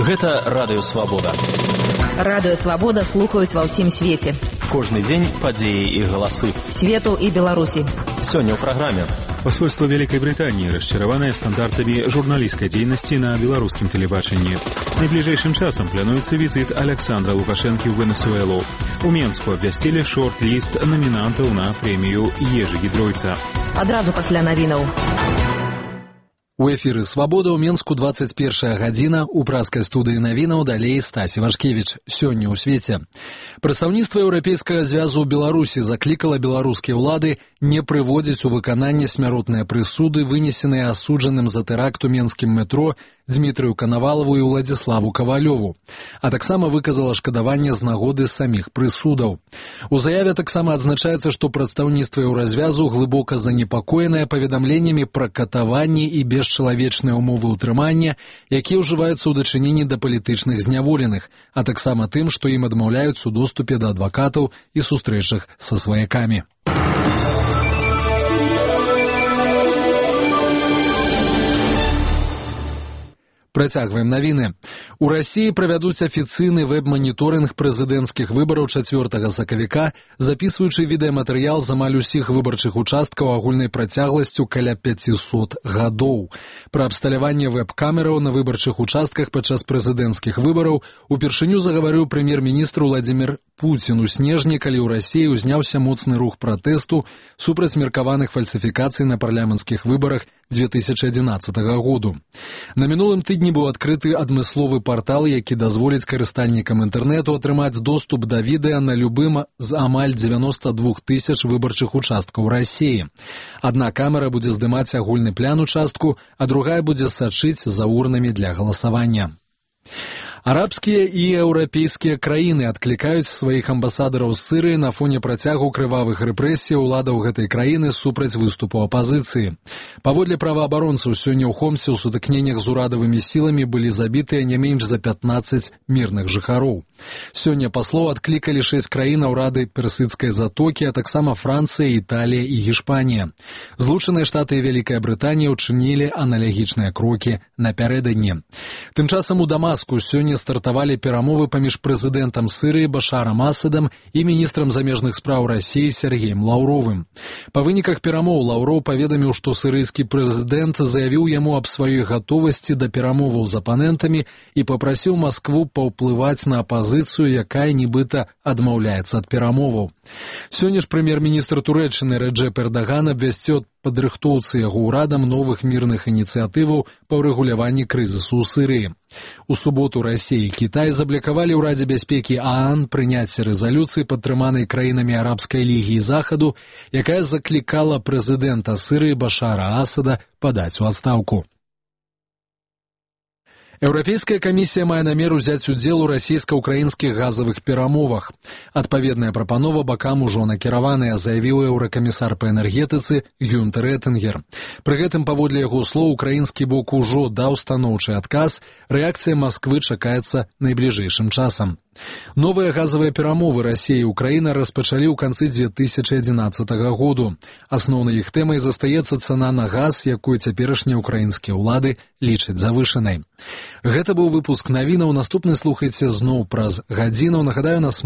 Гэта Радыё Свабода. Радыё Свабода слухаюць ва ўсім свеце. Кожны дзень падзеі і галасы. Свету і Беларусі. Сёння ў праграме. Посольство Великой Британии расчараванае стандартамі журналісцкай дзейнасці на беларускім тэлебачанні. Найбліжэйшым часам плануецца візіт Александра Лукашэнкі ў Венесуэлу. У Менску абвясцілі шорт-ліст намінантаў на прэмію Ежы Гідройца. Адразу пасля навінаў. У эфіры «Свабода» ў Менску 21 гадзіна, у праскай студыі навінаў далей Стасі Вашкевіч. Сёння ў свеце. Прадстаўніцтва Еўрапейскага звязу ў Беларусі заклікала беларускія ўлады не прыводзіць у выкананне смяротныя прысуды, вынесеныя асуджаным за тэракт у менскім метро Дмітрыю Канавалаву і Уладзіславу Кавалёву, а таксама выказала шкадаванне з нагоды саміх прысудаў. У заяве таксама адзначаецца, што прадстаўніцтва Еўразвязу глыбока занепакоенае паведамленнямі пра катаванні і бесчалавечныя ўмовы ўтрымання, якія ўжываюцца ў дачыненні да палітычных зняволеных, а таксама тым, што ім адмаўляюць у доступе да адвакатаў і сустрэчах са сваякамі. Працягваем навіны. У Расіі правядуць афіцыйны вэб-маніторынг прэзідэнцкіх выбараў 4 сакавіка, запісваючы відэаматэрыял з амаль усіх выбарчых участкаў агульнай працягласцю каля 500 гадоў. Пра абсталяванне вэб-камераў на выбарчых участках падчас прэзідэнцкіх выбараў упершыню загаварыў прэм'ер-міністр Владзімір Пуцін у снежні, калі ў Расіі ўзняўся моцны рух пратэсту супраць меркаваных фальсіфікацый на парламенцкіх выбарах 2011 году. На мінулым тыдні быў адкрыты адмысловы партал, які дазволіць карыстальнікам інтэрнэту атрымаць доступ да відэа на любым з амаль 92 тысяч выбарчых участкаў Расіі. Адна камера будзе здымаць агульны план участку, а другая будзе сачыць за урнамі для галасавання. Арабскія і еўрапейскія краіны адклікаюць сваіх амбасадараў з Сірыі на фоне працягу крывавых рэпрэсій уладаў гэтай краіны супраць выступу апазіцыі. Паводле праваабаронцаў, сёння ў Хомсе ў сутыкненнях з урадавымі сіламі былі забітыя не менш за 15 мірных жыхароў. Сёння паслоў адклікалі 6 краінаў Рады Персідскай затокі, а таксама Францыя, Італія і Гішпанія. Злучаныя Штаты і Вялікая Брытанія ўчынілі аналагічныя крокі напярэдадні. Тым часам у Дамаску сёння стартавалі перамовы паміж прэзідэнтам Сірыі Башарам Асадам і міністрам замежных спраў Расіі Сергеем Лаўровым. Па выніках перамоў Лаўроў паведаміў, што сірыйскі прэзідэнт заявіў яму аб сваёй гатовасці да перамоваў з апанентамі і папрасіў Маскву паўплываць на апазіцыю, якая нібыта адмаўляецца ад перамоваў. Сёння ж прэм'ер-міністр Турэччыны Рэджэп Эрдаган абвясціў падрыхтоўцы яго ўрадам новых мірных ініцыятываў па ўрэгуляванні крызісу ў Сірыі. У суботу Расія і Кітай заблякавалі ў Радзе бяспекі ААН прыняцце рэзалюцыі, падтрыманай краінамі Арабскай лігі і Захаду, якая заклікала прэзідэнта Сірыі Башара Асада падаць у адстаўку. Еўрапейская камісія мае намер узяць удзел у расійска-ўкраінскіх газавых перамовах. Адпаведная прапанова бакам ужо накіраваная, заявіў еўракамісар па энергетыцы Гюнтер Этынгер. Пры гэтым, паводле яго слоў, украінскі бок ужо даў станоўчы адказ, рэакцыя Масквы чакаецца найбліжэйшым часам. Новыя газавыя перамовы Расія і Украіна распачалі ў канцы 2011 году. Асноўнай іх тэмай застаецца цана на газ, якую цяперашнія ўкраінскія ўлады лічаць завышанай. Гэта быў выпуск навінаў. Наступны слухайце зноў праз гадзіну. Нагадаю, нас